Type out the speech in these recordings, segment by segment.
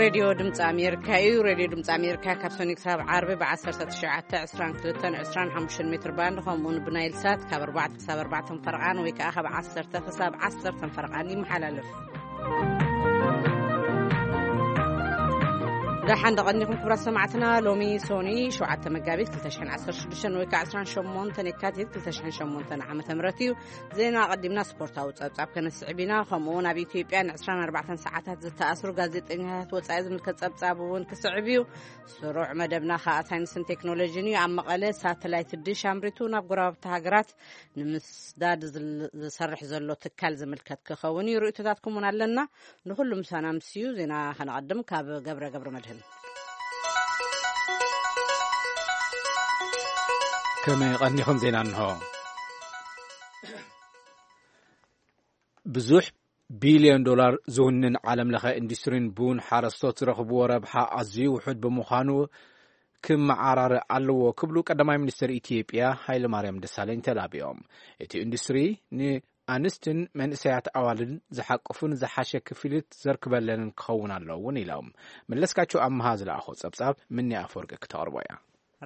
ሬድዮ ድምፂ ኣሜሪካ እዩ። ሬድዮ ድምፂ ኣሜሪካ ካብ ሰኒ ክሳብ ዓርቢ ብ1922 ሜትር ባንድ፣ ከምኡውን ብናይል ሳት ካብ ኣርባዕተ ክሳብ ኣርባዕተ ፈረቓን ወይ ከዓ ካብ ዓሰርተ ክሳብ ዓሰርተ ፈረቓን ይመሓላለፍ። ደሓን ደቐኒኹም ክቡራት ሰማዕትና። ሎሚ ሶኒ ሸውዓተ መጋቢት ክልተ ሽሕን ዓሰርተ ሽዱሽተን ወይ ከዓ ዕስራን ሸሞንተን የካቲት ክልተ ሽሕን ሸሞንተን ዓመተ ምህረት እዩ። ዜና ኣቐዲምና ስፖርታዊ ጸብጻብ ከነስዕብ ኢና። ከምኡ እውን ኣብ ኢትዮጵያ ን24 ሰዓታት ዝተኣስሩ ጋዜጠኛታት ወጻኢ ዝምልከት ጸብጻብ እውን ክስዕብ እዩ። ስሩዕ መደብና ከኣ ሳይንስን ቴክኖሎጂን እዩ። ኣብ መቐለ ሳተላይት ድሽ ኣምሪቱ ናብ ጎረባብቲ ሃገራት ንምስዳድ ዝል-፣ ዝሰርሕ ዘሎ ትካል ዝምልከት ክኸውን እዩ። ርእይቶታትኩም እውን ኣለና። ንኹሉ ምሳና ምስዩ ዜና ከነቐድም ካብ ገብረ ገብረ መድህን። ከመይ ቀኒኹም? ዜና እንሆ። ብዙሕ ቢልዮን ዶላር ዝውንን ዓለም ለኸ ኢንዱስትሪን ቡን ሓረስቶት ዝረኽብዎ ረብሓ ኣዝዩ ውሑድ ብምዃኑ ክመዓራረ ኣለዎ ክብሉ ቀዳማይ ሚኒስትር ኢትዮጵያ ሃይለማርያም ደሳለኝ ተላቢዮም። እቲ ኢንዱስትሪ ንኣንስትን መንእሰያት ኣዋልድን ዝሓቅፉን ዝሓሸ ክፍሊት ዘርክበለንን ክኸውን ኣለዎ እውን ኢሎም። መለስካቸው ኣምሃ ዝለኣኾ ጸብጻብ ምኒ ኣፈወርቂ ክተቕርቦ እያ።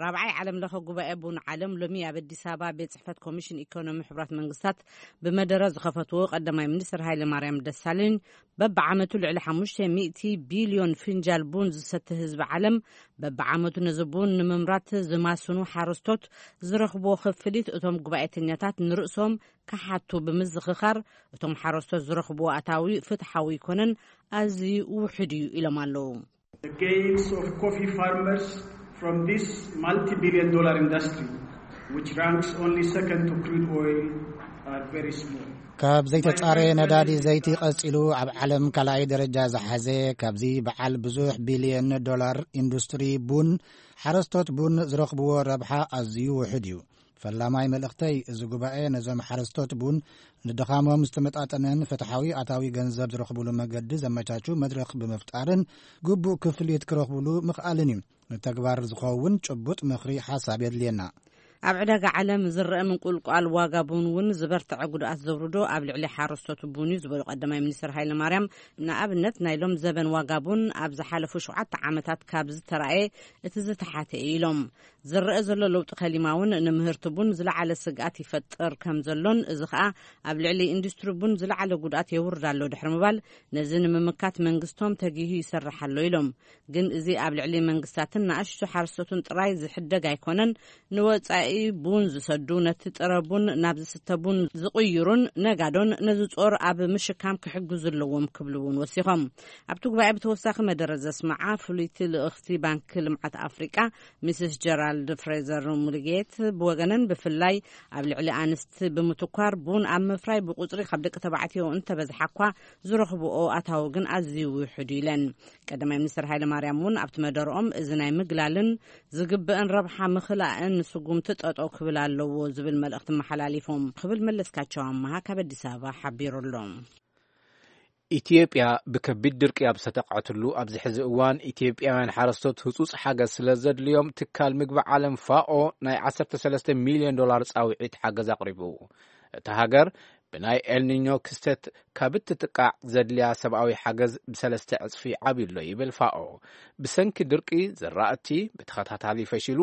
ራብዓይ ዓለም ለኸ ጉባኤ ቡን ዓለም ሎሚ ኣብ ኣዲስ ኣበባ ቤት ጽሕፈት ኮሚሽን ኢኮኖሚ ሕቡራት መንግስታት ብመደረ ዝኸፈትዎ ቀዳማይ ሚኒስትር ሃይለ ማርያም ደሳለኝ፣ በብዓመቱ ልዕሊ ሓሙሽተ ሚእቲ ቢልዮን ፍንጃል ቡን ዝሰቲ ህዝቢ ዓለም፣ በብዓመቱ ነዚ ቡን ንምምራት ዝማስኑ ሓረስቶት ዝረኽብዎ ክፍሊት እቶም ጉባኤተኛታት ንርእሶም ክሓቱ ብምዝኽኻር፣ እቶም ሓረስቶት ዝረኽብዎ ኣታዊ ፍትሓዊ ኣይኮነን፣ ኣዝዩ ውሑድ እዩ ኢሎም ኣለዉ። The gains of coffee farmers from this multi-billion dollar industry, which ranks only second to crude oil, are very small. ካብ ዘይተጻረየ ነዳዲ ዘይቲ ቀጺሉ ኣብ ዓለም ካልኣይ ደረጃ ዝሓዘ፣ ካብዚ በዓል ብዙሕ ቢልዮን ዶላር ኢንዱስትሪ ቡን፣ ሓረስቶት ቡን ዝረኽብዎ ረብሓ ኣዝዩ ውሑድ እዩ። ፈላማይ መልእኽተይ፣ እዚ ጉባኤ ነዞም ሓረስቶት ቡን ንድኻሞም ዝተመጣጠነን ፍትሓዊ ኣታዊ ገንዘብ ዝረኽብሉ መገዲ ዘመቻቹ መድረኽ ብምፍጣርን ግቡእ ክፍሊት ክረኽብሉ ምኽኣልን እዩ። ንተግባር ዝኸውን ጭቡጥ ምኽሪ ሓሳብ የድልየና። ኣብ ዕዳጋ ዓለም ዝረአ ምንቁልቋል ዋጋ ቡን እውን ዝበርትዐ ጉድኣት ዘውርዶ ኣብ ልዕሊ ሓረስቶት ቡን እዩ ዝበሉ ቀዳማይ ሚኒስትር ሃይለ ማርያም፣ ንኣብነት ናይ ሎም ዘበን ዋጋ ቡን ኣብ ዝሓለፉ ሸውዓተ ዓመታት ካብ ዝተራእየ እቲ ዝተሓተ እዩ ኢሎም። ዝረአ ዘሎ ለውጢ ከሊማ እውን ንምህርቲ ቡን ዝለዓለ ስግኣት ይፈጥር ከም ዘሎን፣ እዚ ኸኣ ኣብ ልዕሊ ኢንዱስትሪ ቡን ዝለዓለ ጉድኣት የውርድ ኣሎ ድሕሪ ምባል፣ ነዚ ንምምካት መንግስቶም ተጊሁ ይሰርሕ ኣሎ ኢሎም። ግን እዚ ኣብ ልዕሊ መንግስታትን ንኣሽቱ ሓረስቶትን ጥራይ ዝሕደግ ኣይኮነን፣ ንወጻኢ ቡን ዝሰዱ፣ ነቲ ጥረ ቡን ናብ ዝስተ ቡን ዝቕይሩን ነጋዶን ነዚ ጾር ኣብ ምሽካም ክሕግዙ ኣለዎም ክብሉ እውን ወሲኾም። ኣብቲ ጉባኤ ብተወሳኺ መደረ ዘስምዓ ፍሉይቲ ልእኽቲ ባንኪ ልምዓት ኣፍሪቃ ሚስስ ጀራልድ ፍሬዘር ሙልጌት ብወገነን፣ ብፍላይ ኣብ ልዕሊ ኣንስቲ ብምትኳር፣ ቡን ኣብ ምፍራይ ብቁጽሪ ካብ ደቂ ተባዕትዮ እንተበዝሓ እኳ፣ ዝረኽብኦ ኣታዊ ግን ኣዝዩ ውሑድ ኢለን። ቀዳማይ ሚኒስትር ሃይለ ማርያም እውን ኣብቲ መደረኦም፣ እዚ ናይ ምግላልን ዝግበእን ረብሓ ምኽላእን ንስጉምቲ ጠጠው ክብል ኣለዎ ዝብል መልእኽቲ መሓላሊፎም ክብል መለስካቸው ኣመሃ ካብ ኣዲስ ኣበባ ሓቢሩ ኣሎ። ኢትዮጵያ ብከቢድ ድርቂ ኣብ ዝተጠቕዐትሉ ኣብዚ ሕዚ እዋን፣ ኢትዮጵያውያን ሓረስቶት ህጹጽ ሓገዝ ስለ ዘድልዮም፣ ትካል ምግቢ ዓለም ፋኦ ናይ ዓሰርተ ሰለስተ ሚልዮን ዶላር ጻውዒት ሓገዝ ኣቕሪቡ። እታ ሃገር ብናይ ኤልኒኞ ክስተት ካብ እትጥቃዕ ዘድልያ ሰብኣዊ ሓገዝ ብሰለስተ ዕጽፊ ዓብዩ ኣሎ ይብል ፋኦ። ብሰንኪ ድርቂ ዝራእቲ ብተኸታታሊ ፈሺሉ፣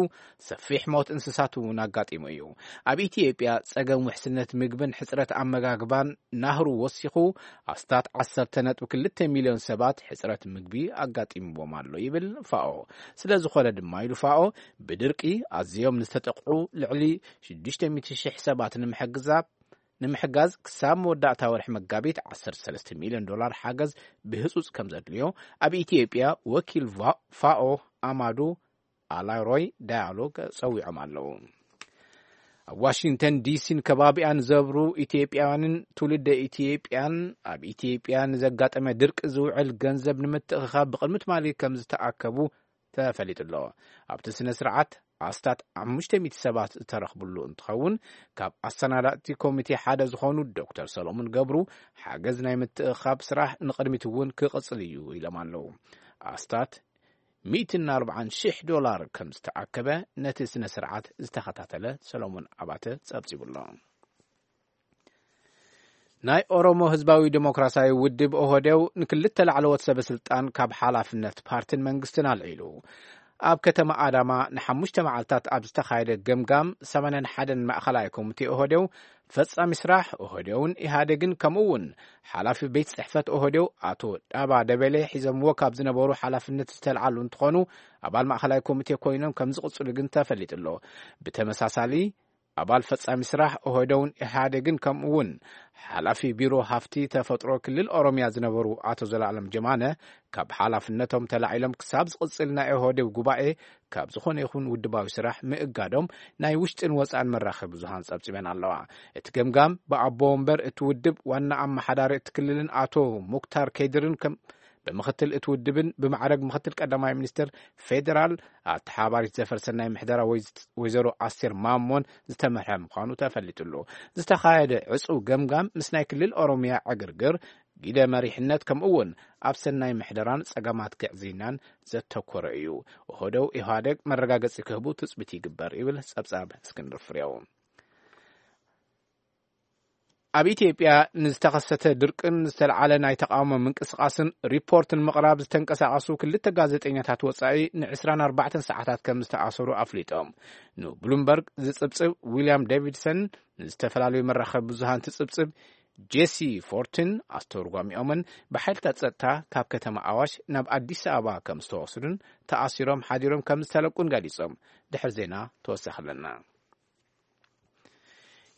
ሰፊሕ ሞት እንስሳት እውን ኣጋጢሙ እዩ። ኣብ ኢትዮጵያ ጸገም ውሕስነት ምግብን ሕጽረት ኣመጋግባን ናህሩ ወሲኹ፣ ኣስታት ዓሰርተ ነጥቢ ክልተ ሚልዮን ሰባት ሕጽረት ምግቢ ኣጋጢምዎም ኣሎ ይብል ፋኦ። ስለ ዝኾነ ድማ ኢሉ ፋኦ፣ ብድርቂ ኣዝዮም ንዝተጠቕዑ ልዕሊ ሽዱሽተ ሚእቲ ሽሕ ሰባት ንምሕግዛ-፣ ንምሕጋዝ ክሳብ መወዳእታ ወርሒ መጋቢት ዓሰርተ ሰለስተ ሚልዮን ዶላር ሓገዝ ብህጹጽ ከም ዘድልዮ ኣብ ኢትዮጵያ ወኪል ፋ-፣ ፋኦ ኣማዱ ኣላሮይ ዳያሎግ ጸዊዖም ኣለዉ። ኣብ ዋሽንግተን ዲሲን ከባቢኣን ዝነብሩ ኢትዮጵያውያንን ትውልደ ኢትዮጵያን፣ ኣብ ኢትዮጵያ ንዘጋጠመ ድርቂ ዝውዕል ገንዘብ ንምትእኽኻብ ብቕድሚ ትማሊ ከም ዝተኣከቡ ተፈሊጡ ኣሎ። ኣብቲ ስነ ስርዓት ኣስታት ሓሙሽተ ሚእቲ ሰባት ዝተረኽብሉ እንትኸውን፣ ካብ ኣሰናዳእቲ ኮሚቴ ሓደ ዝኾኑ ዶክተር ሰሎሞን ገብሩ፣ ሓገዝ ናይ ምትእኽኻብ ስራሕ ንቕድሚት እውን ክቕጽል እዩ ኢሎም ኣለዉ። ኣስታት ሚእትን ኣርባዓን ሽሕ ዶላር ከም ዝተኣከበ ነቲ ስነ ስርዓት ዝተኸታተለ ሰሎሞን ኣባተ ጸብጺቡ ኣሎ። ናይ ኦሮሞ ህዝባዊ ዴሞክራሲያዊ ውድብ ኦህዴው ንክልተ ላዕለዎት ሰበ ስልጣን ካብ ሓላፍነት ፓርቲን መንግስትን ኣልዒሉ። ኣብ ከተማ ኣዳማ ንሓሙሽተ መዓልታት ኣብ ዝተኻየደ ገምጋም ሰማንያን ሓደን ማእኸላይ ኮሚቴ ኦህዴው፣ ፈጻሚ ስራሕ ኦህዴውን ኢህኣዴግን፣ ከምኡ እውን ሓላፊ ቤት ጽሕፈት ኦህዴው ኣቶ ዳባ ደበሌ ሒዘምዎ ካብ ዝነበሩ ሓላፍነት ዝተልዓሉ እንትኾኑ፣ ኣባል ማእኸላይ ኮሚቴ ኮይኖም ከም ዝቕጽሉ ግን ተፈሊጡ ኣሎ። ብተመሳሳሊ ኣባል ፈጻሚ ስራሕ ኦህዴውን ኢህኣዴግን፣ ከምኡ እውን ሓላፊ ቢሮ ሃፍቲ ተፈጥሮ ክልል ኦሮሚያ ዝነበሩ ኣቶ ዘላለም ጀማነ፣ ካብ ሓላፍነቶም ተላዒሎም ክሳብ ዝቕጽል ናይ ኦህዴው ጉባኤ ካብ ዝኾነ ይኹን ውድባዊ ስራሕ ምእጋዶም ናይ ውሽጥን ወጻእን መራኸቢ ብዙሃን ጸብጺበን ኣለዋ። እቲ ገምጋም ብኣቦ ወንበር እቲ ውድብ ዋና ኣመሓዳሪ እቲ ክልልን ኣቶ ሙክታር ከድርን ከም ብምክትል እቲ ውድብን ብማዕረግ ምክትል ቀዳማይ ሚኒስትር ፌዴራል ኣተሓባሪት ዘፈር ሰናይ ምሕደራ ወይ-፣ ወይዘሮ ኣስቴር ማሞን ዝተመርሐ ምዃኑ ተፈሊጡ ኣሎ። ዝተኻየደ ዕጹው ገምጋም ምስ ናይ ክልል ኦሮሚያ ዕግርግር፣ ጊደ መሪሕነት፣ ከምኡ እውን ኣብ ሰናይ ምሕደራን ጸገማት ግዕዝይናን ዘተኮረ እዩ። ውህደው ኢህዋደግ መረጋገጺ ክህቡ ትጽቢት ይግበር ይብል ጸብጻብ እስክንድር ፍሬው። ኣብ ኢትዮጵያ ንዝተኸሰተ ድርቅን ዝተልዓለ ናይ ተቃውሞ ምንቅስቃስን ሪፖርት ንምቕራብ ዝተንቀሳቐሱ ክልተ ጋዜጠኛታት ወጻኢ ን ዕስራን ኣርባዕተን ሰዓታት ከም ዝተኣሰሩ ኣፍሊጦም። ንብሉምበርግ ዝጽብጽብ ዊልያም ዴቪድሰን፣ ንዝተፈላለዩ መራኸቢ ብዙሃን ትጽብጽብ ጄሲ ፎርትን ኣስተርጓሚኦምን ብሓይልታት ጸጥታ ካብ ከተማ ኣዋሽ ናብ ኣዲስ ኣበባ ከም ዝተወስዱን ተኣሲሮም ሓዲሮም ከም ዝተለቁን ገሊጾም። ድሕሪ ዜና ተወሳኺ ኣለና።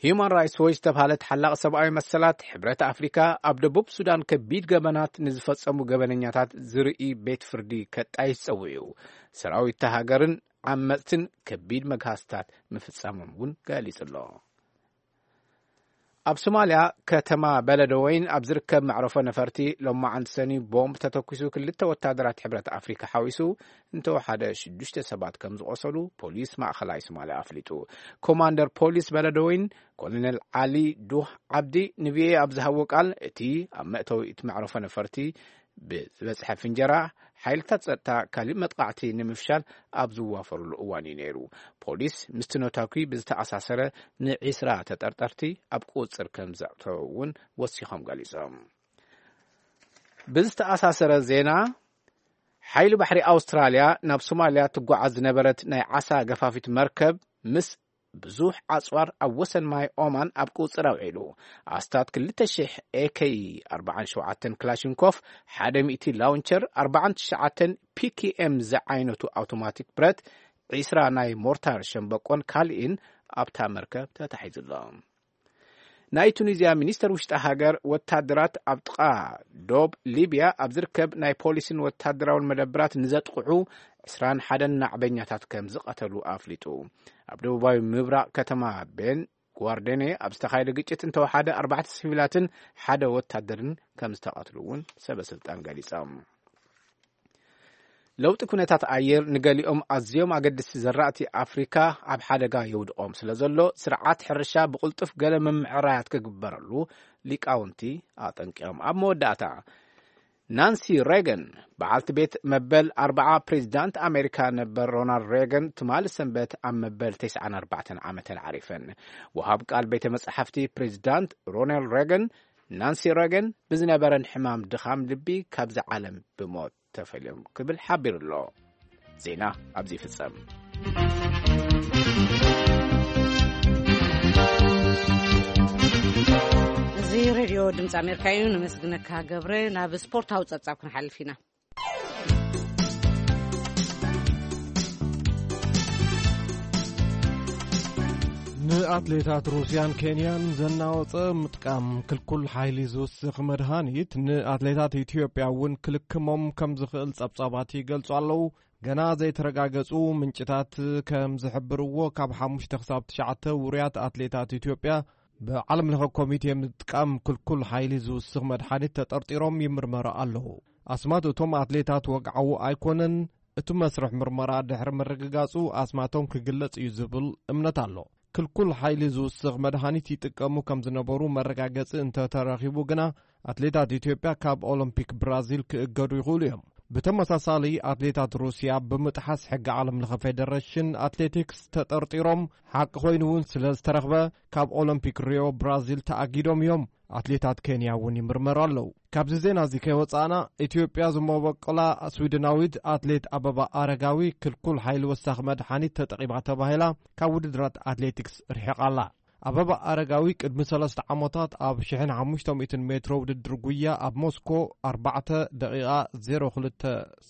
ሂዩማን ራይትስ ዎች ዝተባህለ ተሓላቒ ሰብኣዊ መሰላት ሕብረት ኣፍሪካ፣ ኣብ ደቡብ ሱዳን ከቢድ ገበናት ንዝፈጸሙ ገበነኛታት ዝርኢ ቤት ፍርዲ ከጣይሽ ጸዊዑ። ሰራዊት እታ ሃገርን ዓመጽትን ከቢድ መግሃስታት ምፍጻሞም እውን ገሊጹ ኣሎ። ኣብ ሶማልያ ከተማ በለደወይን ኣብ ዝርከብ መዕረፎ ነፈርቲ ሎማዓንቲ ሰኒ ቦምብ ተተኲሱ ክልተ ወታደራት ሕብረት ኣፍሪካ ሓዊሱ እንተወሓደ ሽዱሽተ ሰባት ከም ዝቖሰሉ ፖሊስ ማእኸላይ ሶማልያ ኣፍሊጡ። ኮማንደር ፖሊስ በለደወይን ኮሎኔል ዓሊ ዱህ ዓብዲ ንቪኦኤ ኣብ ዝሃቦ ቃል፣ እቲ ኣብ መእተዊ እቲ መዕረፎ ነፈርቲ ብዝበጽሐ ፍንጀራ ሓይልታት ጸጥታ ካሊእ መጥቃዕቲ ንምፍሻል ኣብ ዝዋፈሩሉ እዋን እዩ ነይሩ። ፖሊስ ምስቲ ነታኲ ብዝተኣሳሰረ ንዒስራ ተጠርጠርቲ ኣብ ቁጽጽር ከም ዘእተወ እውን ወሲኾም ገሊጾም። ብዝተኣሳሰረ ዜና፣ ሓይሊ ባሕሪ ኣውስትራልያ ናብ ሶማልያ ትጓዓዝ ዝነበረት ናይ ዓሳ ገፋፊት መርከብ ምስ ብዙሕ ኣጽዋር ኣብ ወሰን ማይ ኦማን ኣብ ቁጽር ኣውዒሉ። ኣስታት ክልተ ሽሕ ኤ ኬ ኣርባዓን ሸውዓተን ክላሽንኮፍ፣ ሓደ ሚእቲ ላውንቸር፣ ኣርባዓን ትሽዓተን ፒ ኪ ኤም ዝዓይነቱ ኣውቶማቲክ ብረት፣ ዒስራ ናይ ሞርታር ሸምበቆን ካልእን ኣብታ መርከብ ተታሒዙ ኣሎ። ናይ ቱኒዝያ ሚኒስተር ውሽጢ ሃገር፣ ወታደራት ኣብ ጥቓ ዶብ ሊብያ ኣብ ዝርከብ ናይ ፖሊስን ወታደራውን መደብራት ንዘጥቕዑ ዕስራን ሓደን ናዕበኛታት ከም ዝቐተሉ ኣፍሊጡ። ኣብ ደቡባዊ ምብራቕ ከተማ ቤን ጓርዴኔ ኣብ ዝተኻየደ ግጭት እንተወሓደ ኣርባዕተ ሲቪላትን ሓደ ወታደርን ከም ዝተቐትሉ እውን ሰበ ስልጣን ገሊጾም። ለውጢ ኩነታት ኣየር ንገሊኦም ኣዝዮም ኣገደስቲ ዘራእቲ ኣፍሪካ ኣብ ሓደጋ የውድቖም ስለ ዘሎ፣ ስርዓት ሕርሻ ብቕልጡፍ ገለ ምምዕራያት ክግበረሉ ሊቃውንቲ ኣጠንቂቖም። ኣብ መወዳእታ፣ ናንሲ ሬገን፣ በዓልቲ ቤት መበል ኣርባዓ ፕሬዚዳንት ኣሜሪካ ነበር ሮናልድ ሬገን፣ ትማሊ ሰንበት ኣብ መበል ተስዓን ኣርባዕተን ዓመተን ዓሪፈን። ወሃብ ቃል ቤተ መጻሕፍቲ ፕሬዚዳንት ሮናልድ ሬገን፣ ናንሲ ሬገን ብዝነበረን ሕማም ድኻም ልቢ ካብዚ ዓለም ብሞት ተፈልዮም ክብል ሓቢሩ ኣሎ። ዜና ኣብዚ ይፍጸም። እዚ ሬድዮ ድምፂ ኣሜሪካ እዩ። ነመስግነካ ገብረ። ናብ ስፖርታዊ ጸብጻብ ክንሓልፍ ኢና። ንኣትሌታት ሩስያን ኬንያን ዘናወጸ ምጥቃም ክልኩል ሓይሊ ዝውስኽ መድሃኒት ንኣትሌታት ኢትዮጵያ እውን ክልክሞም ከም ዝኽእል ጸብጻባት ይገልጹ ኣለዉ። ገና ዘይተረጋገጹ ምንጭታት ከም ዝሕብርዎ፣ ካብ ሓሙሽተ ክሳብ ትሽዓተ ውሩያት ኣትሌታት ኢትዮጵያ ብዓለም ለኸ ኮሚቴ ምጥቃም ክልኩል ሓይሊ ዝውስኽ መድሓኒት ተጠርጢሮም ይምርመሩ ኣለዉ። ኣስማት እቶም ኣትሌታት ወግዓዊ ኣይኮነን። እቲ መስርሕ ምርመራ ድሕሪ ምርግጋጹ ኣስማቶም ክግለጽ እዩ ዝብል እምነት ኣሎ። ክልኩል ሓይሊ ዝውስኽ መድሃኒት ይጥቀሙ ከም ዝነበሩ መረጋገጺ እንተተረኺቡ ግና፣ ኣትሌታት ኢትዮጵያ ካብ ኦሎምፒክ ብራዚል ክእገዱ ይኽእሉ እዮም። ብተመሳሳሊ፣ ኣትሌታት ሩስያ ብምጥሓስ ሕጊ ዓለም ለኸ ፌደሬሽን ኣትሌቲክስ ተጠርጢሮም፣ ሓቂ ኮይኑ እውን ስለ ዝተረኽበ፣ ካብ ኦሎምፒክ ሪዮ ብራዚል ተኣጊዶም እዮም። ኣትሌታት ኬንያ እውን ይምርመሩ ኣለዉ። ካብዚ ዜና እዚ ከይወጻእና፣ ኢትዮጵያ ዝመበቆላ ስዊድናዊት ኣትሌት ኣበባ ኣረጋዊ ክልኩል ሓይሊ ወሳኺ መድሓኒት ተጠቒማ ተባሂላ ካብ ውድድራት ኣትሌቲክስ ርሒቓ ኣላ። ኣበባ ኣረጋዊ ቅድሚ ሰለስተ ዓመታት ኣብ ሽሕን ሓሙሽተ ሚእትን ሜትሮ ውድድር ጉያ ኣብ ሞስኮ ኣርባዕተ ደቂቓ ዜሮ ክልተ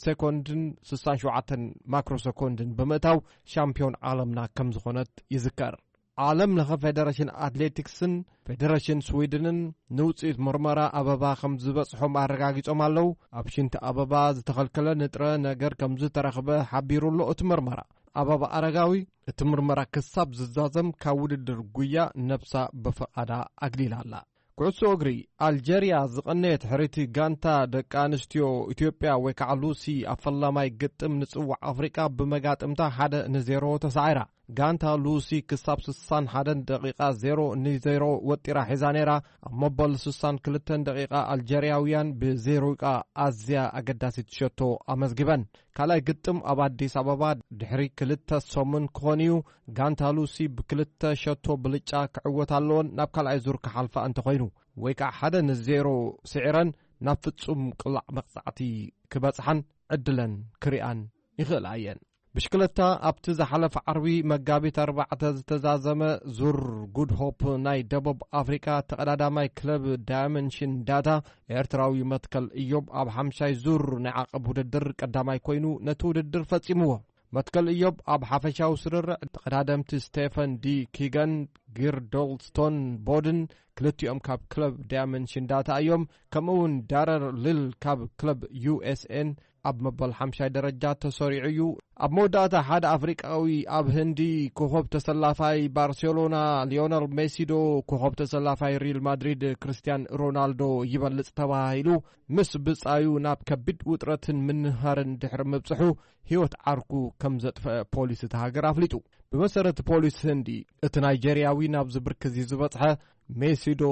ሴኮንድን ስሳን ሸውዓተን ማክሮ ሴኮንድን ብምእታው ሻምፒዮን ዓለምና ከም ዝኾነት ይዝከር። ዓለም ለኸ ፌደሬሽን ኣትሌቲክስን ፌደሬሽን ስዊድንን ንውፅኢት ምርመራ ኣበባ ከም ዝበፅሖም ኣረጋጊጾም ኣለዉ። ኣብ ሽንቲ ኣበባ ዝተኸልከለ ንጥረ ነገር ከም ዝተረኽበ ሓቢሩ ኣሎ እቲ ምርመራ። ኣበባ ኣረጋዊ እቲ ምርመራ ክሳብ ዝዛዘም ካብ ውድድር ጉያ ነብሳ ብፍቓዳ ኣግሊላ ኣላ። ኩዕሶ እግሪ፣ ኣልጀርያ ዝቐነየት ሕርይቲ ጋንታ ደቂ ኣንስትዮ ኢትዮጵያ ወይ ከዓ ሉሲ ኣብ ፈላማይ ግጥም ንጽዋዕ ኣፍሪቃ ብመጋጥምታ ሓደ ንዜሮ ተሳዒራ። ጋንታ ሉሲ ክሳብ ስሳን ሓደን ደቂቓ ዜሮ ንዜሮ ወጢራ ሒዛ ነይራ። ኣብ መበል ስሳን ክልተን ደቂቓ ኣልጀርያውያን ብዜሮ ደቂቓ ኣዝያ ኣገዳሲት ሸቶ ኣመዝጊበን። ካልኣይ ግጥም ኣብ ኣዲስ ኣበባ ድሕሪ ክልተ ሰሙን ክኾን እዩ። ጋንታ ሉሲ ብክልተ ሸቶ ብልጫ ክዕወት ኣለዎን ናብ ካልኣይ ዙር ክሓልፋ እንተኾይኑ፣ ወይ ከዓ ሓደ ንዜሮ ስዒረን ናብ ፍጹም ቅላዕ መቕጻዕቲ ክበጽሓን ዕድለን ክሪኣን ይኽእላ እየን። ብሽክለታ፣ ኣብቲ ዝሓለፈ ዓርቢ መጋቢት ኣርባዕተ ዝተዛዘመ ዙር ጉድ ሆፕ ናይ ደቡብ ኣፍሪካ ተቐዳዳማይ ክለብ ዳይመንሽን ዳታ ኤርትራዊ መትከል እዮብ ኣብ ሓምሻይ ዙር ናይ ዓቐብ ውድድር ቀዳማይ ኮይኑ ነቲ ውድድር ፈጺምዎ። መትከል እዮብ ኣብ ሓፈሻዊ ስርርዕ ተቐዳደምቲ ስቴፈን ዲ ኪገን፣ ጊርዶልስቶን ቦድን ክልቲኦም ካብ ክለብ ዳይመንሽን ዳታ እዮም። ከምኡ እውን ዳረር ሊል ካብ ክለብ ዩኤስኤን ኣብ መበል ሓምሻይ ደረጃ ተሰሪዑ እዩ። ኣብ መወዳእታ ሓደ ኣፍሪቃዊ ኣብ ህንዲ ኮኸብ ተሰላፋይ ባርሴሎና ሊዮነል ሜሲዶ ኮኸብ ተሰላፋይ ሪል ማድሪድ ክርስቲያን ሮናልዶ ይበልጽ ተባሂሉ ምስ ብጻዩ ናብ ከቢድ ውጥረትን ምንሃርን ድሕሪ ምብጽሑ ህይወት ዓርኩ ከም ዘጥፈአ ፖሊስ እታ ሃገር ኣፍሊጡ። ብመሰረት ፖሊስ ህንዲ፣ እቲ ናይጄርያዊ ናብዚ ብርኪ እዚ ዝበጽሐ ሜሲዶ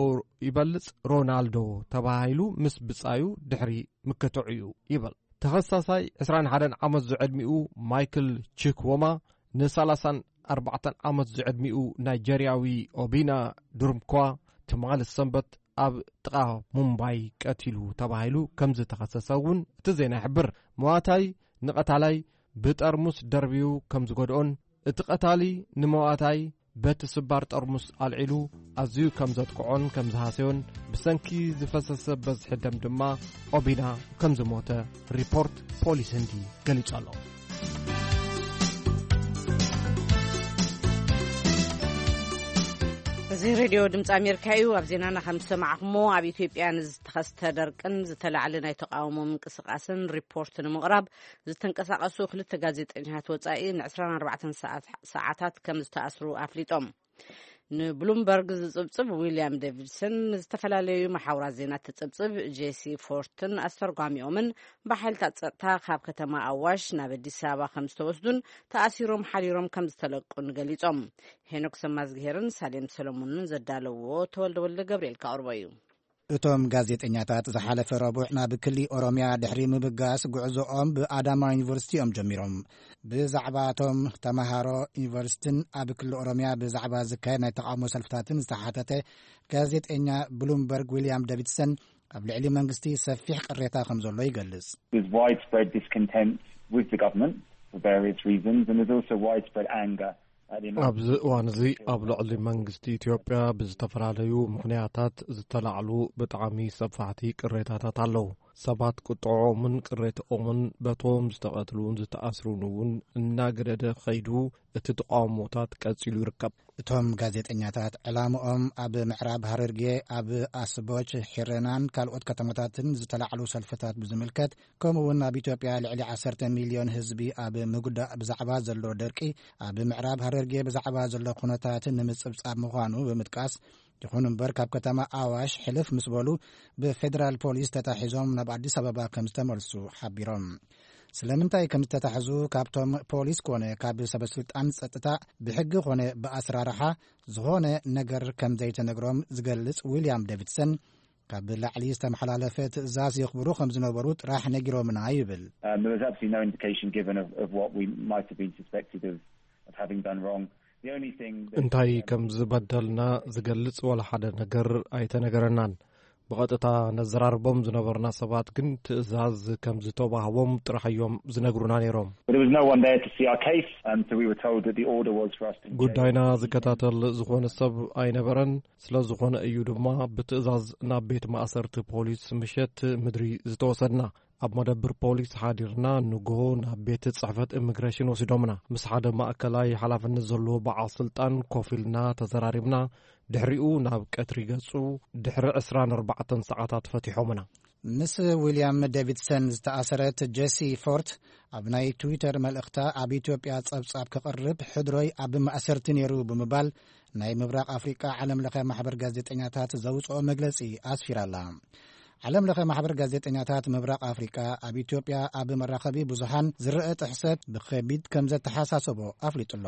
ይበልጽ ሮናልዶ ተባሂሉ ምስ ብጻዩ ድሕሪ ምክትዑ እዩ ይበል። ተኸሳሳይ ዕስራን ሓደን ዓመት ዝዕድሚኡ ማይክል ቺክዎማ ንሰላሳን ኣርባዕተን ዓመት ዝዕድሚኡ ናይጀርያዊ ኦቢና ዱርምኳ ትማሊ ሰንበት ኣብ ጥቓ ሙምባይ ቀቲሉ ተባሂሉ ከም ዝተኸሰሰ እውን እቲ ዜና ይሕብር። መዋታይ ንቐታላይ ብጠርሙስ ደርብዩ ከም ዝጎድኦን እቲ ቀታሊ ንመዋታይ በቲ ስባር ጠርሙስ ኣልዒሉ ኣዝዩ ከም ዘጥቅዖን ከም ዝሃሰዮን ብሰንኪ ዝፈሰሰ በዝሒ ደም ድማ ኦቢና ከም ዝሞተ ሪፖርት ፖሊስ ህንዲ ገሊጹ ኣሎ። እዚ ሬድዮ ድምፂ ኣሜሪካ እዩ። ኣብ ዜናና ከም ዝሰማዕኹሞ፣ ኣብ ኢትዮጵያ ንዝተኸስተ ደርቅን ዝተላዕለ ናይ ተቃውሞ ምንቅስቃስን ሪፖርት ንምቕራብ ዝተንቀሳቐሱ ክልተ ጋዜጠኛታት ወጻኢ ን ዕስራን ኣርባዕተን ሰዓት-፣ ሰዓታት ከም ዝተኣስሩ ኣፍሊጦም። ንብሉምበርግ ዝጽብጽብ ዊልያም ዴቪድሰን፣ ንዝተፈላለዩ መሓውራት ዜና ትጽብጽብ ጄሲ ፎርትን ኣስተርጓሚኦምን ብሓይልታት ጸጥታ ካብ ከተማ ኣዋሽ ናብ ኣዲስ ኣበባ ከም ዝተወስዱን ተኣሲሮም ሓዲሮም ከም ዝተለቁን ገሊጾም። ሄኖክ ሰማዝግሄርን ሳሌም ሰለሙንን ዘዳለውዎ ተወልደ ወልደ ገብርኤል ካቕርቦ እዩ። እቶም ጋዜጠኛታት ዝሓለፈ ረቡዕ ናብ ክሊ ኦሮምያ ድሕሪ ምብጋስ፣ ጉዕዞኦም ብኣዳማ ዩኒቨርሲቲ እዮም ጀሚሮም። ብዛዕባ እቶም ተምሃሮ ዩኒቨርሲቲን ኣብ ክሊ ኦሮምያ ብዛዕባ ዝካየድ ናይ ተቃውሞ ሰልፍታትን ዝተሓተተ ጋዜጠኛ ብሉምበርግ ዊልያም ዴቪድሰን፣ ኣብ ልዕሊ መንግስቲ ሰፊሕ ቅሬታ ከም ዘሎ ይገልጽ። There's widespread discontent with the government for various reasons, and there's also widespread anger at the American ኣብዚ እዋን እዚ ኣብ ልዕሊ መንግስቲ ኢትዮጵያ ብዝተፈላለዩ ምኽንያታት ዝተላዕሉ ብጣዕሚ ሰፋሕቲ ቅሬታታት ኣለዉ። ሰባት ቁጥዖምን ቅሬትኦምን በቶም ዝተቐትሉን ዝተኣስሩን እውን እናገደደ ኸይዱ፣ እቲ ተቃውሞታት ቀጺሉ ይርከብ። እቶም ጋዜጠኛታት ዕላምኦም ኣብ ምዕራብ ሃረርጌ፣ ኣብ ኣስቦች፣ ሒረናን ካልኦት ከተማታትን ዝተላዕሉ ሰልፍታት ብዝምልከት፣ ከምኡ እውን ኣብ ኢትዮጵያ ልዕሊ ዓሰርተ ሚልዮን ህዝቢ ኣብ ምጉዳእ ብዛዕባ ዘሎ ደርቂ፣ ኣብ ምዕራብ ሃረርጌ ብዛዕባ ዘሎ ኩነታት ንምጽብጻብ ምዃኑ ብምጥቃስ፣ ይኹን እምበር ካብ ከተማ ኣዋሽ ሕልፍ ምስ በሉ ብፌደራል ፖሊስ ተታሒዞም ናብ ኣዲስ ኣበባ ከም ዝተመልሱ ሓቢሮም። ስለምንታይ ከም ዝተታሕዙ ካብቶም ፖሊስ ኮነ ካብ ሰበስልጣን ጸጥታ ብሕጊ ኮነ ብኣስራርሓ ዝኾነ ነገር ከም ዘይተነግሮም ዝገልጽ ዊልያም ዴቪድሰን፣ ካብ ላዕሊ ዝተመሓላለፈ ትእዛዝ የኽብሩ ከም ዝነበሩ ጥራሕ ነጊሮምና ይብል። Um, there was absolutely no indication given of, of what we might have been suspected of, of having done wrong. The only thing that, እንታይ um, ከም ዝበደልና ዝገልጽ ወላ ሓደ ነገር ኣይተነገረናን። ብቐጥታ ነዘራርቦም ዝነበርና ሰባት ግን ትእዛዝ ከም ዝተዋህቦም ጥራሕ እዮም ዝነግሩና ነይሮም። But there was no one there to see our case, and so we were told that the order was for us to engage. ጉዳይና ዝከታተል ዝኾነ ሰብ ኣይነበረን። ስለ ዝኾነ እዩ ድማ ብትእዛዝ ናብ ቤት ማእሰርቲ ፖሊስ ምሸት ምድሪ ዝተወሰድና። ኣብ መደብር ፖሊስ ሓዲርና ንግሆ ናብ ቤት ጽሕፈት ኢሚግሬሽን ወሲዶምና። ምስ ሓደ ማእከላይ ሓላፍነት ዘለዎ በዓል ስልጣን ኮፍ ኢልና ተዘራሪብና። ድሕሪኡ ናብ ቀትሪ ገጹ ድሕሪ ዕስራን ኣርባዕተን ሰዓታት ፈቲሖምና። ምስ ዊልያም ዴቪድሰን ዝተኣሰረት ጀሲ ፎርት ኣብ ናይ ትዊተር መልእኽታ፣ ኣብ ኢትዮጵያ ጸብጻብ ክቕርብ ሕድሮይ ኣብ ማእሰርቲ ነይሩ ብምባል ናይ ምብራቕ ኣፍሪቃ ዓለም ለኸ ማሕበር ጋዜጠኛታት ዘውጽኦ መግለጺ ኣስፊራላ። ዓለም ለኸ ማሕበር ጋዜጠኛታት ምብራቕ ኣፍሪቃ ኣብ ኢትዮጵያ ኣብ መራኸቢ ብዙሃን ዝረአ ጥሕሰት ብኸቢድ ከም ዘተሓሳሰቦ ኣፍሊጡሎ።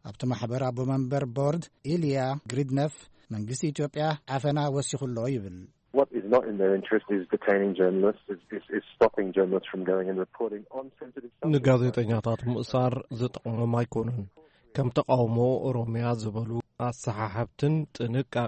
ኣብቲ ማሕበር ኣቦ መንበር ቦርድ ኢልያ ግሪድነፍ፣ መንግስቲ ኢትዮጵያ ዓፈና ወሲኹሎ ይብል። What is not in their interest is detaining journalists, is, is, is stopping journalists from going and reporting on sensitive subjects. ንጋዜጠኛታት ምእሳር ዝጠቕሞም ኣይኮኑን። ከም ተቃውሞ ኦሮምያ ዝበሉ ኣሰሓሕብትን ጥንቃቐ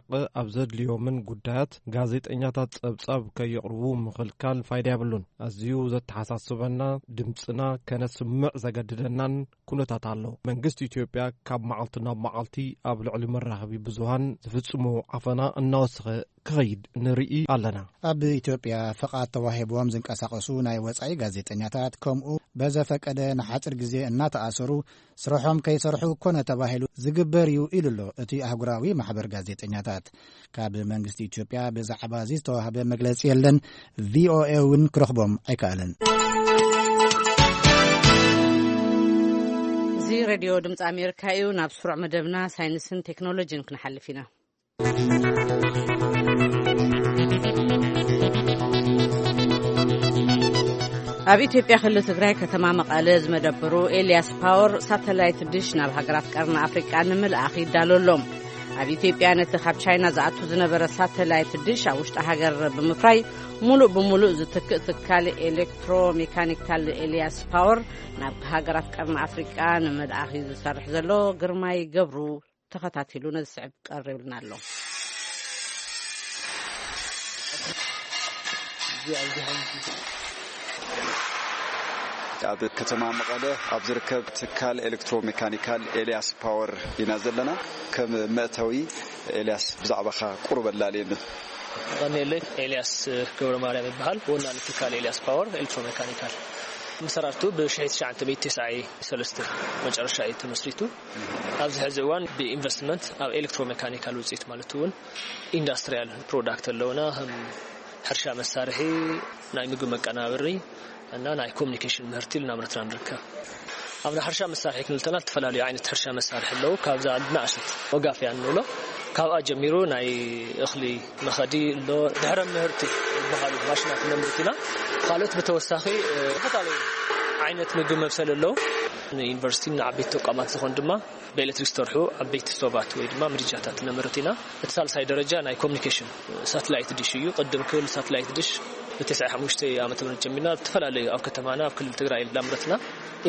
ኣብ ዘድልዮምን ጉዳያት ጋዜጠኛታት ጸብጻብ ከየቕርቡ ምኽልካል ፋይዳ የብሉን። ኣዝዩ ዘተሓሳስበና፣ ድምጽና ከነስምዕ ዘገድደናን ኩነታት ኣሎ። መንግስቲ ኢትዮጵያ ካብ መዓልቲ ናብ መዓልቲ ኣብ ልዕሊ መራኸቢ ብዙሃን ዝፍጽሞ ዓፈና እናወሰኸ ክኸይድ ንርኢ ኣለና። ኣብ ኢትዮጵያ ፍቓድ ተዋሂብዎም ዝንቀሳቐሱ ናይ ወጻኢ ጋዜጠኛታት ከምኡ በዘፈቀደ ንሓጺር ግዜ እናተኣሰሩ ስርሖም ከይሰርሑ ኮነ ተባሂሉ ዝግበር እዩ ኢሉ ኣሎ እቲ ኣህጉራዊ ማሕበር ጋዜጠኛታት። ካብ መንግስቲ ኢትዮጵያ ብዛዕባ እዚ ዝተዋህበ መግለጺ የለን። ቪኦኤ እውን ክረኽቦም ኣይከኣለን። እዚ ሬድዮ ድምፂ ኣሜሪካ እዩ። ናብ ስሩዕ መደብና ሳይንስን ቴክኖሎጂን ክንሓልፍ ኢና። ኣብ ኢትዮጵያ ክልል ትግራይ ከተማ መቐለ ዝመደብሩ ኤልያስ ፓወር ሳተላይት ድሽ ናብ ሃገራት ቀርኒ ኣፍሪቃ ንምልኣኽ ይዳሎ ኣሎ። ኣብ ኢትዮጵያ ነቲ ካብ ቻይና ዝኣቱ ዝነበረ ሳተላይት ድሽ ኣብ ውሽጢ ሃገር ብምፍራይ ሙሉእ ብሙሉእ ዝትክእ ትካል ኤሌክትሮ ሜካኒካል ኤልያስ ፓወር ናብ ሃገራት ቀርኒ ኣፍሪቃ ንምልኣኽ እዩ ዝሰርሕ ዘሎ። ግርማይ ገብሩ ተኸታቲሉ ነዚ ስዕብ ቀሪብልና ኣሎ። ኣብ ከተማ መቐለ ኣብ ዝርከብ ትካል ኤሌክትሮ ሜካኒካል ኤልያስ ፓወር ኢና ዘለና። ከም መእተዊ ኤልያስ ብዛዕባኻ ቁሩብ ኣላልየኒ። ቀኒለይ ኤልያስ ገብረ ማርያም ይበሃል። ወናኒ ትካል ኤልያስ ፓወር ኤሌክትሮ ሜካኒካል። መሰራርቱ ብሽሕቲ ትሽዓተ ሚእቲ ተስዓይ ሰለስተ መጨረሻ እዩ ተመስሪቱ። ኣብዚ ሕዚ እዋን ብኢንቨስትመንት ኣብ ኤሌክትሮ ሜካኒካል ውፅኢት ማለት እውን ኢንዳስትሪያል ፕሮዳክት ኣለውና። ከም ሕርሻ መሳርሒ፣ ናይ ምግቢ መቀናበሪ እና ናይ ኮሚኒኬሽን ምህርቲ እናምረትና ንርከብ። ኣብ ናይ ሕርሻ መሳርሒ ክንብል እንተና ዝተፈላለዩ ዓይነት ሕርሻ መሳርሒ ኣለዉ። ካብዛ ንኣሸት ወጋፍያ እንብሎ ካብኣ ጀሚሩ ናይ እኽሊ መኸዲ ኣሎ። ድሕረ ምህርቲ ዝበሃሉ ማሽናት ነምርት ኢና። ካልኦት ብተወሳኺ ዝተፈላለዩ ዓይነት ምግቢ መብሰል ኣለዉ። ንዩኒቨርሲቲ ንዓበይቲ ተቋማት ዝኾን ድማ ብኤሌክትሪክ ዝሰርሑ ዓበይቲ ስቶባት ወይ ድማ ምድጃታት ነምርት ኢና። እቲ ሳልሳይ ደረጃ ናይ ኮሚኒኬሽን ሳትላይት ዲሽ እዩ። ቅድም ክብል ሳትላይት ዲሽ ብተስዓይ ሓሙሽተ ዓመተ ምህረት ጀሚርና ዝተፈላለዩ ኣብ ከተማና ኣብ ክልል ትግራይ እናምረትና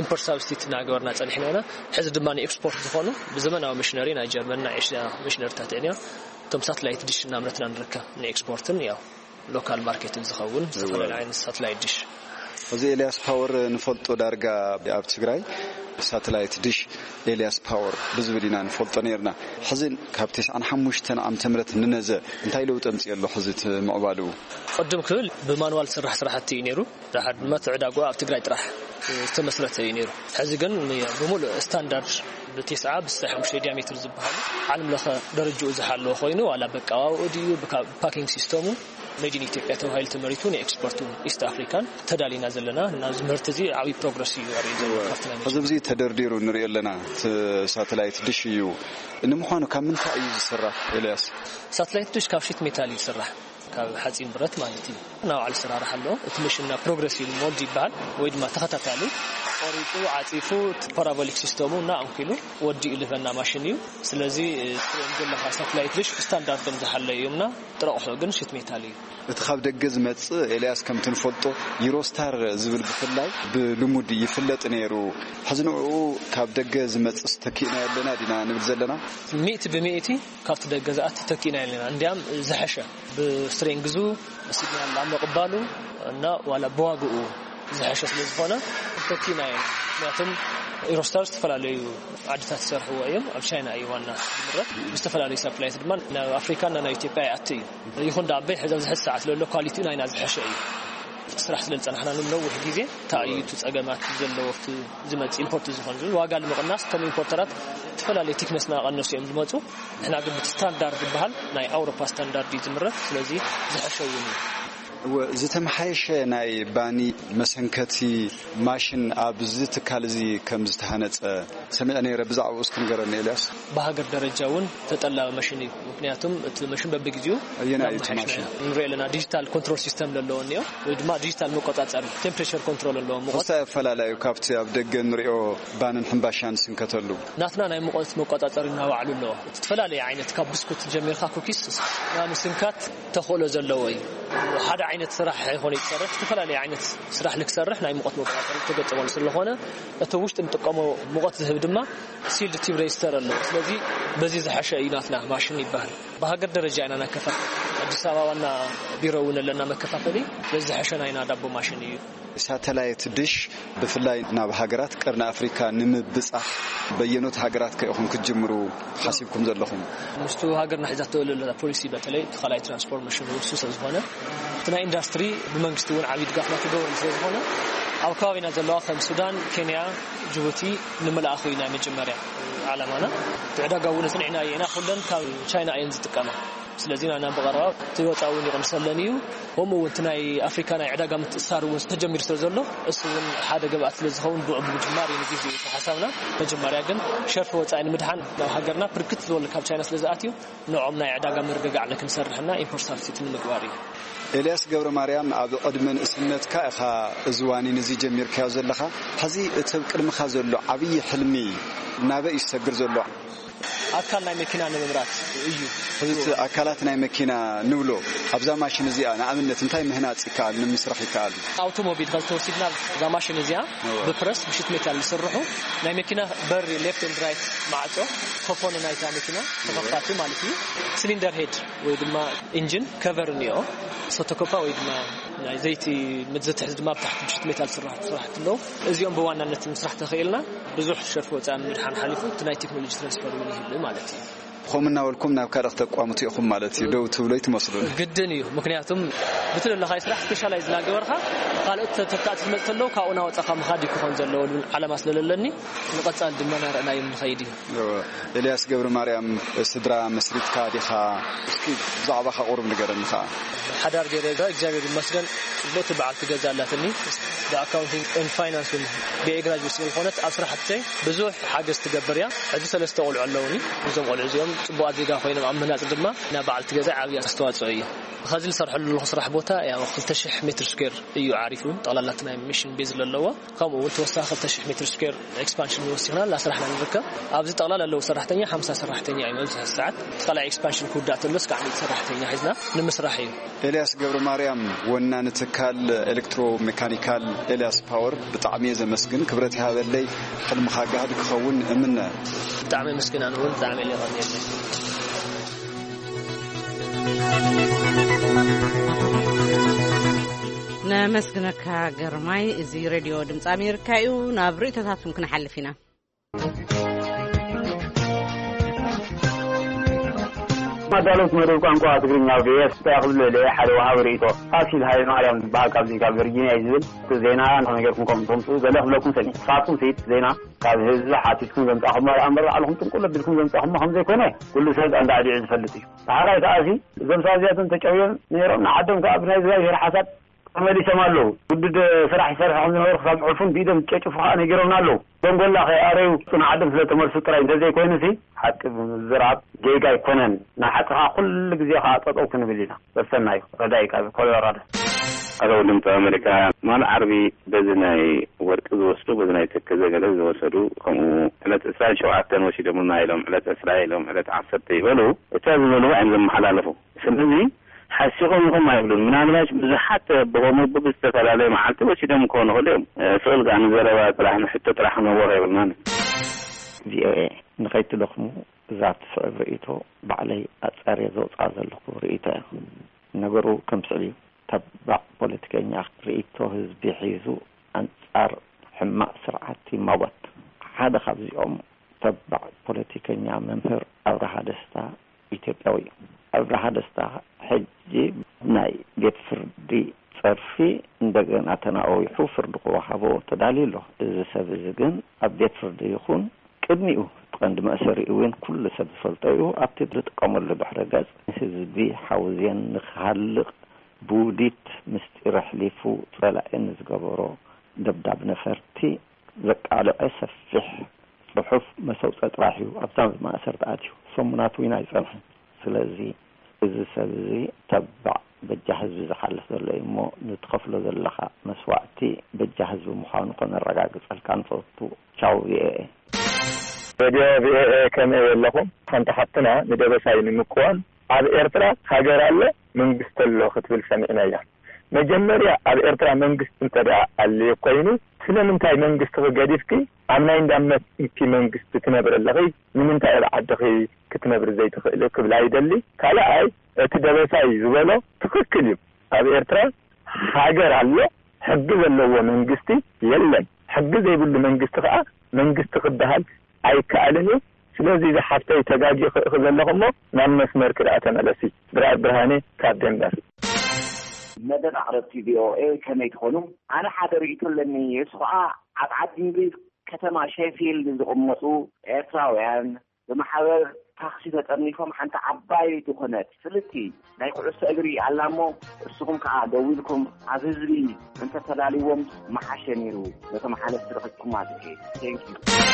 ኢምፖርት ሳብስቲት እናገበርና ጸኒሕና ኢና። ሕዚ ድማ ንኤክስፖርት ዝኾኑ ብዘመናዊ ሚሽነሪ ናይ ጀርመን ናይ ኤሽያ ሚሽነሪታት ኢና እቶም ሳትላይት ዲሽ እናምረትና ንርከብ። ንኤክስፖርትን ያው ሎካል ማርኬትን ዝኸውን ዝተፈላለዩ ዓይነት ሳትላይት ዲሽ። እዚ ኤልያስ ፓወር ንፈልጦ ዳርጋ ኣብ ትግራይ ሳተላይት ዲሽ ኤልያስ ፓወር ብዝብል ኢና ንፈልጦ ነርና። ሕዚ ካብ ተስዓን ሓሙሽተን ዓመተ ምህረት ንነዘ እንታይ ለውጢ ኣምፅእ ኣሎ? ሕዚ እቲ ምዕባልኡ? ቅድም ክብል ብማንዋል ዝስራሕ ስራሕቲ እዩ ነይሩ። ድሓር ድማ ትዕዳጎ ኣብ ትግራይ ጥራሕ ዝተመስረተ እዩ ነይሩ። ሕዚ ግን ብሙሉእ ስታንዳርድ ብቴስዓ ብስሳይ ሓሙሽተ ዲያሜትር ዝበሃሉ ዓለም ለኸ ደረጃኡ ዝሓለወ ኮይኑ ዋላ በቃዋውኡ ድዩ ብፓኪንግ ሲስተሙ ሜድ ኢን ኢትዮጵያ ተባሂሉ ተመሪቱ ንኤክስፖርት ኢስት ኣፍሪካን ተዳሊና ዘለና። ናብዚ ምህርቲ እዚ ዓብዪ ፕሮግረስ እዩ ኣርኢ ዘሎ ካብቲ ናይ እዚ ብዚ ተደርዲሩ ንሪኦ ኣለና። እቲ ሳተላይት ድሽ እዩ። ንምዃኑ ካብ ምንታይ እዩ ዝስራሕ ኤልያስ? ሳተላይት ድሽ ካብ ሺት ሜታል እዩ ዝስራሕ። ካብ ሓፂን ብረት ማለት እዩ። ናብ ዓል ስራራሕ ኣሎ። እቲ መሽን ናብ ፕሮግረሲቭ ሞድ ይበሃል፣ ወይ ድማ ተኸታታሊ ቆሪጡ ዓፂፉ፣ ፓራቦሊክ ሲስተሙ እና ኣንኪሉ ወዲኡ ልበና ማሽን እዩ። ስለዚ ትሪኦም ዘለኻ ሳትላይት ድሽ ስታንዳርዶም ዝሓለዩ እዮም እና ጥረቑሑ ግን ሽት ሜታል እዩ። እቲ ካብ ደገ ዝመጽእ ኤልያስ፣ ከምቲ ንፈልጦ፣ ዩሮስታር ዝብል ብፍላይ ብልሙድ ይፍለጥ ነይሩ። ሕዚ ንዕኡ ካብ ደገ ዝመጽእ ተኪእና ኣለና ዲና ንብል ዘለና? ሚእቲ ብሚእቲ ካብቲ ደገ ዝኣቲ ተኪእና ኣለና። እንዲያም ዝሐሸ ብስትሬንግዙ፣ ብሲግናል ኣብ ምቕባሉ እና ዋላ ብዋግኡ ዝሐሸ ስለ ዝኾነ ተኪእና እዮም። ምክንያቱም ዩሮስታር ዝተፈላለዩ ዓድታት ዝሰርሕዎ እዮም። ኣብ ቻይና እዩ ዋና ዝምረት። ብዝተፈላለዩ ሳፕላይት ድማ ናብ ኣፍሪካና ናብ ኢትዮጵያ ይኣቲ እዩ። ይኹን ዳ ኣበይ ሕዚ ኣብዚ ሕዚ ሰዓት ለሎ ኳሊቲ ናይና ዝሐሸ እዩ። ስራሕ ስለ ዝጸናሕና ንነዊሕ ግዜ እንታይ እዩ እቲ ጸገማት ዘለዎ፣ እቲ ዝመጽእ ኢምፖርት ዝኾን ዝብል ዋጋ ንምቕናስ፣ እቶም ኢምፖርተራት ዝተፈላለዩ ቲክነስ እናቐነሱ እዮም ዝመጹ። ንሕና ግን ብቲ ስታንዳርድ ዝበሃል ናይ ኣውሮፓ ስታንዳርድ እዩ ዝምረት። ስለዚ ዝሐሸ እውን እዩ። እወ፣ ዝተመሓየሸ ናይ ባኒ መሰንከቲ ማሽን ኣብዚ ትካል እዚ ከም ዝተሃነጸ ሰሚዐ ነይረ። ብዛዕባኡ እስኪ ንገረኒ ኤልያስ። ብሃገር ደረጃ እውን ተጠላቢ መሽን እዩ። ምክንያቱም እቲ መሽን በብግዜኡ ኣየናይ እዩ እቲ እናመሓየሽና ማሽን? ንሪኦ ኣለና። ዲጂታል ኮንትሮል ሲስተም ዘለዎ እኒኦ፣ ወይ ድማ ዲጂታል መቆጻጸሪ ቴምፕሬቸር ኮንትሮል ኣለዎ። ሙቐት ክሳይ ኣፈላላዩ ካብቲ ኣብ ደገ ንሪኦ ባንን ሕምባሻን ስንከተሉ? ናትና ናይ ሙቐት መቆጻጸሪ እናባዕሉ ኣለዎ። እቲ ዝተፈላለየ ዓይነት ካብ ብስኩት ጀሚርካ ኩኪስ ናብ ምስንካት ተኽእሎ ዘለዎ እዩ። ሓደ ዓይነት ስራሕ ኣይኮነ ይሰርሕ፣ ዝተፈላለየ ዓይነት ስራሕ ልክሰርሕ ናይ ሙቐት መቆጻጸሪ ተገጠመሉ ስለዝኾነ፣ እቲ ውሽጢ ንጥቀሞ ሙቐት ዝህብ ድማ ሲልድ ቲብ ሬጅስተር ኣሎ። ስለዚ በዚ ዝሐሸ እዩ ናትና ማሽን ይበሃል። ብሃገር ደረጃ ኢና ነከፋፍል። ኣዲስ ኣበባ ዋና ቢሮ እውን ኣለና መከፋፈሊ። በዚ ዝሐሸ ናይና ዳቦ ማሽን እዩ። ሳተላይት ድሽ ብፍላይ ናብ ሃገራት ቀርኒ ኣፍሪካ ንምብጻሕ በየኖት ሃገራት ከ ኢኹም ክትጅምሩ ሓሲብኩም ዘለኹም? ምስቱ ሃገርና ሒዛቶ ዘላ ፖሊሲ፣ በተለይ እቲ ካልኣይ ትራንስፎርሜሽን ውሱ ስለ ዝኾነ፣ እቲ ናይ ኢንዳስትሪ ብመንግስቲ እውን ዓብዪ ድጋፍ ናተገብረሉ ስለ ዝኾነ፣ ኣብ ከባቢና ዘለዋ ከም ሱዳን፣ ኬንያ፣ ጅቡቲ ንምልኣኹ እዩ ናይ መጀመርያ ዓላማና። እቲ ዕዳጋ እውን ኣጽኒዕናዮ ኢና። ኩለን ካብ ቻይና እየን ዝጥቀማ። ስለዚ ናና ብቐረባ እቲ ወፃ እውን ይቕንሰለን እዩ። ከምኡ እውን እቲ ናይ ኣፍሪካ ናይ ዕዳጋ ምትእሳር እውን ተጀሚሩ ስለ ዘሎ፣ እሱ እውን ሓደ ግብኣት ስለ ዝኸውን ብኡ ብምጅማር እዩ ንግዜ እዩ ሓሳብና። መጀመርያ ግን ሸርፊ ወፃኢ ንምድሓን ናብ ሃገርና ብርክት ዝበሉ ካብ ቻይና ስለ ዝኣትዩ፣ ንዕኦም ናይ ዕዳጋ ምርግጋዕ ክንሰርሕና ኢምፖርት ሳብስቲት ንምግባር እዩ። ኤልያስ ገብረ ማርያም፣ ኣብ ዕድመ ንእስነትካ ኢኻ እዚ ዋኒን እዚ ጀሚርካዮ ዘለኻ። ሕዚ እቲ ኣብ ቅድምኻ ዘሎ ዓብዪ ሕልሚ ናበይ እዩ ዝሰግር ዘሎ? ኣካል ናይ መኪና ንምምራት እዩ። ሕዚ እቲ ኣካላት ናይ መኪና ንብሎ፣ ኣብዛ ማሽን እዚኣ ንኣብነት እንታይ ምህናፅ ይከኣል፣ ንምስራሕ ይከኣል? ኣውቶሞቢል ካብ ዝተወሲድና፣ እዛ ማሽን እዚኣ እወ። ብፕረስ ብሽት ሜታል ዝስርሑ ናይ መኪና በሪ፣ ሌፍት ኤንድ ራይት ማዕጾ፣ ኮፎን ናይታ መኪና ተኸፋቲ ማለት እዩ። ሲሊንደር ሄድ ወይ ድማ ኢንጂን ከቨር እኒኦ፣ ሰቶኮፓ ወይ ድማ ናይ ዘይቲ መዘትሕዚ ድማ ብታሕቲ ብሽት ሜታል ስራሕ ስራሕቲ ኣለዉ። እዚኦም ብዋናነት ምስራሕ ተኽኢልና ብዙሕ ሸርፊ ወፃኢ ምድሓን ሓሊፉ እቲ ናይ ቴክኖሎጂ ትራንስፈር እውን ይህብ ማለት እዩ። ከምኡ እናበልኩም ናብ ካልእ ክተቋምቱ ኢኹም ማለት እዩ። ደው ትብሎ ኣይትመስሉን። ግድን እዩ። ምክንያቱም ብቲ ዘለኻዮ ስራሕ ስፔሻላይዝ እናገበርካ ካልኦት ተተካእቲ ዝመፅእ ተለዉ ካብኡ እናወፃእካ ምኻድ እዩ ክኾን ዘለዎ ዝብል ዓላማ ስለለለኒ ንቐፃሊ ድማ እናረእናዮም ንኸይድ እዩ። እወ። ኤልያስ ገብረ ማርያም፣ ስድራ መስሪትካ ዲኻ? እስኪ ብዛዕባኻ ቁሩብ ንገረኒ ኸዓ። ሓዳር ገይረ እዛ እግዚኣብሔር ይመስገን ጽቡቕቲ በዓልቲ ገዛ ኣላትኒ። ብኣካውንቲንግ ኤንድ ፋይናንስ እውን ብኤ ግራጁዌት ስለ ዝኾነት ኣብ ስራሕተይ ብዙሕ ሓገዝ ትገብር እያ። ሕጂ ሰለስተ ቆልዑ ኣለውኒ። እዞም ቆልዑ እዚኦም ጽቡቓት ዜጋ ኮይኖም ኣብ ምህናጽ ድማ ናብ በዓልቲ ገዛ ዓብዪ ኣስተዋጽኦ እዩ። ኸዚ ዝሰርሐሉ ዘለኹ ስራሕ ቦታ ያው ክልተ ሽሕ ሜትር ስኩዌር እዩ ዓሪፉ። ጠቕላላ እቲ ናይ ሚሽን ቤዝ ዘለዎ። ከምኡ እውን ተወሳኺ ክልተ ሽሕ ሜትር ስኩዌር ኤክስፓንሽን ወሲኽና እናሰራሕና ንርከብ። ኣብዚ ጠቕላላ ኣለዉ ሰራሕተኛ ሓምሳ ሰራሕተኛ እዩ። ኣብዚ ሰዓት እቲ ካልኣይ ኤክስፓንሽን ክውዳእ ተሎ እስካዕ ሚእቲ ሰራሕተኛ ሒዝና ንምስራሕ እዩ። ኤልያስ ገብረ ማርያም፣ ወናኒ ትካል ኤሌክትሮ ሜካኒካል ኤልያስ ፓወር፣ ብጣዕሚ እየ ዘመስግን። ክብረት ይሃበለይ። ሕልምኻ ጋህዲ ክኸውን እምነ። ብጣዕሚ ኣመስግን። ኣነ እውን ብጣዕሚ እየ የቐንየለይ። ነመስግነካ ግርማይ። እዚ ሬድዮ ድምፂ ኣሜሪካ እዩ። ናብ ርእይቶታትኩም ክንሓልፍ ኢና። ኣዳለውቲ መደብ ቋንቋ ትግርኛ ቪኦኤ፣ እንታይ ክብል ኢለ ሓደ ወሃቢ ርእይቶ ፋሲል ሃይለ ማርያም ዝበሃል ካብዚ ካብ ቨርጂኒያ እዩ ዝብል፣ እቲ ዜና ንኸመይ ጌርኩም ከም ትምፅኡ ገለ ክብለኩም ሰኒ። ንስኻትኩም ሲ ዜና ካብ ህዝቢ ሓቲትኩም ዘምፃእኹሞ ደኣ እምበር ባዕልኹም ጥንቁል ኣቢልኩም ዘምፃእኹሞ ከም ዘይኮነ ኩሉ ሰብ እንዳዕዲዑ ዝፈልጥ እዩ። ብሓራይ ከኣ ሲ እዞም ሰባት እዚኣቶም ተጨውዮም ነይሮም፣ ንዓዶም ከኣ ብናይ እግዚኣብሄር ሓሳብ ተመሊሶም ኣለዉ። ግዱድ ስራሕ ይሰርሑ ከም ዝነበሩ ክሳብ ዕፉን ብኢዶም ጨጭፉ ከዓ ነጊሮምና ኣለዉ። ደንጎላ ከይኣረዩ ጽኑዕ ዓዶም ስለ ተመልሱ ጥራይ እንተዘይኮይኑሲ፣ ሓቂ ብምዝራብ ጌጋ ኣይኮነን። ናይ ሓቂ ከዓ ኩሉ ግዜ ከዓ ጠጠው ክንብል ኢና። ሰሰናዩ ረዳኢ ካብ ኮሎራዶ። ኣቶ ድምፂ ኣሜሪካ፣ ማል ዓርቢ በዚ ናይ ወርቂ ዝወስዱ፣ በዚ ናይ ተከዘ ገለ ዝወሰዱ፣ ከምኡ ዕለት ዕስራን ሸውዓተን ወሲዶምና ኢሎም፣ ዕለት ዕስራ ኢሎም፣ ዕለት ዓሰርተ ይበሉ፣ እታ ዝበልዋ እዮም ዘመሓላለፉ። ስለዚ ሓሲኾም ኢኹም ኣይብሉን። ምናልባሽ ብዙሓት ብኸምኡ ብዝተፈላለየ መዓልቲ ወሲዶም ክኾኑ ይኽእሉ እዮም። ስቕ ኢልካ ንዘረባ ጥራሕ፣ ንሕቶ ጥራሕ ክነወር የብልናን። ቪኦኤ፣ ንኸይትደኽሙ እዛ ትስዕብ ርእይቶ ባዕለይ ኣጻርየ ዘውጽኣ ዘለኹ ርእይቶ እያ። ነገሩ ከም ስዕብ እዩ። ተባዕ ፖለቲከኛ ርእይቶ ህዝቢ ሒዙ ኣንጻር ሕማቕ ስርዓት ይማጎት። ሓደ ካብዚኦም ተባዕ ፖለቲከኛ መምህር ኣብርሃ ደስታ ኢትዮጵያዊ እዩ። ኣብርሃ ደስታ ሕጂ ናይ ቤት ፍርዲ ጸርፊ እንደገና ተናዊሑ ፍርዲ ክወሃቦ ተዳልዩ ኣሎ። እዚ ሰብ እዚ ግን ኣብ ቤት ፍርዲ ይኹን ቅድሚኡ እቲ ቀንዲ መእሰሪኡ እውን ኩሉ ሰብ ዝፈልጦ እዩ። ኣብቲ ዝጥቀመሉ ድሕረ ገጽ ንህዝቢ ሓውዜን ንክሃልቕ ብውዲት ምስጢር ኣሕሊፉ ጸላኢ ንዝገበሮ ደብዳብ ነፈርቲ ዘቃልዐ ሰፊሕ ጽሑፍ መሰውጸ ጥራሕ እዩ ኣብዛ ማእሰርቲ ኣትዩ። ሰሙናት እውን ኣይጸንሐን። ስለዚ እዚ ሰብ እዚ ተባዕ በጃ ህዝቢ ዝሓልፍ ዘሎ እዩ እሞ ንትኸፍሎ ዘለኻ መስዋእቲ በጃ ህዝቢ ምዃኑ ከነረጋግጸልካ ንፈቱ። ቻው ቪኦኤ። ሬድዮ ቪኦኤ ከመይ ኣለኹም? ሓንቲ ሓፍትና ንደበሳይ ንምቅዋም ኣብ ኤርትራ ሃገር ኣሎ መንግስቲ ኣሎ ክትብል ሰሚዕናያ። መጀመርያ ኣብ ኤርትራ መንግስቲ እንተ ደኣ ኣልዩ ኮይኑ ስለምንታይ መንግስቲ ክገዲፍኪ ኣብ ናይ እንዳመትኪ መንግስቲ ትነብሪ ኣለኺ? ንምንታይ ኣብ ዓድኺ ክትነብሪ ዘይትኽእሊ ክብላ ይደሊ። ካልኣይ እቲ ደበሳይ ዝበሎ ትኽክል እዩ። ኣብ ኤርትራ ሃገር ኣሎ፣ ሕጊ ዘለዎ መንግስቲ የለን። ሕጊ ዘይብሉ መንግስቲ ከዓ መንግስቲ ክበሃል ኣይከኣልን እዩ። ስለዚ ዝሓፍተይ ተጋጊ ክእኺ ዘለኹ እሞ ናብ መስመር ክደኣ ተመለሲ። ብርኣድ ብርሃኔ ካብ ደንበር። መደብ ኣቕረብቲ ቪኦኤ ከመይ ትኾኑ? ኣነ ሓደ ርእይቶ ኣለኒ። እሱ ኸዓ ኣብ ዓዲ እንግሊዝ ከተማ ሼፊልድ ዝቕመጡ ኤርትራውያን ብማሕበር ታክሲ ተጠርኒፎም ሓንቲ ዓባይ ዝኾነት ፍልጥቲ ናይ ኩዕሶ እግሪ ኣላ እሞ፣ እስኹም ከኣ ደው ኢልኩም ኣብ ህዝቢ እንተተላልይዎም ምሓሸ ነይሩ። ነቶም ሓለፍቲ ረኺብኩም ማለት እዩ። Thank you።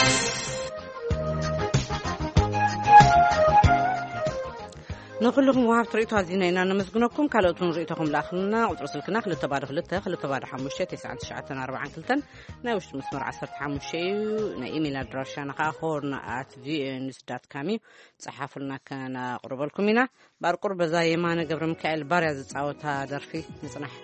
ንኹልኹም ወሃብቲ ርእይቶ ኣዚና ኢና ነመስግነኩም። ካልኦት እውን ርእይቶኹም ለኣኹልና። ቁጽሪ ስልክና ክልተ ባዶ ክልተ፣ ክልተ ባዶ ሓሙሽተ፣ ተስዓን ትሽዓተን ኣርባዓን ክልተን፣ ናይ ውሽጢ መስመር ዓሰርተ ሓሙሽተ እዩ። ናይ ኢሜይል ኣድራሻና ከኣ ሆርን ኣት ቪኦኤ ኒውስ ዳት ካም እዩ። ጸሓፉልና፣ ከነቕርበልኩም ኢና። ባርቁር በዛ የማነ ገብረ ሚካኤል ባርያ ዝጻወታ ደርፊ ንጽናሕ።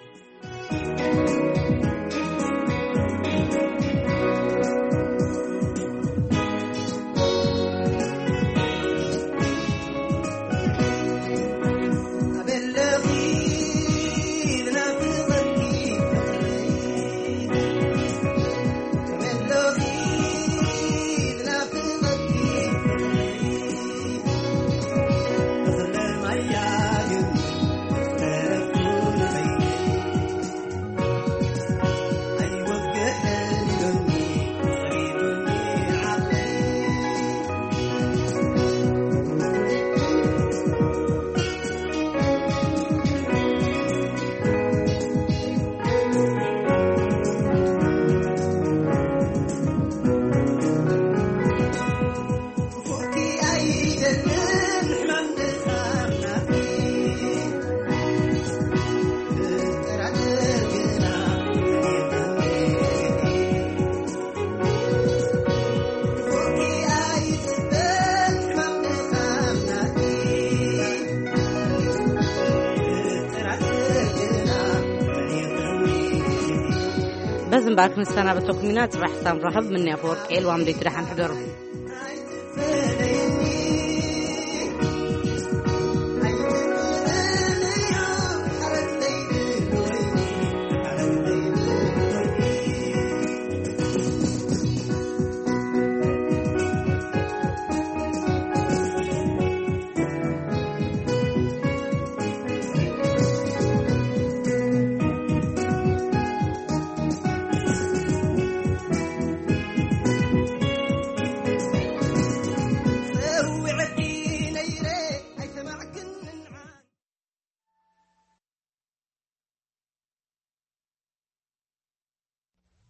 በዚ እምበኣር ክንሰናበተኩም ኢና። ጽባሕ ክሳብ ንራኸብ፣ ምንያ ፈወርቂ ኤልዋም ደይቲ ደሓን ሕደሩ።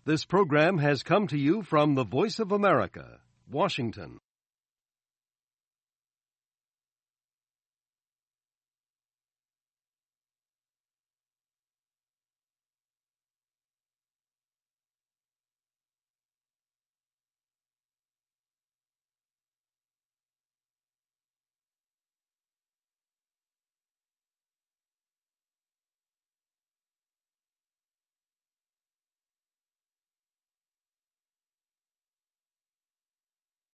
This program has come to you from the Voice of America, Washington.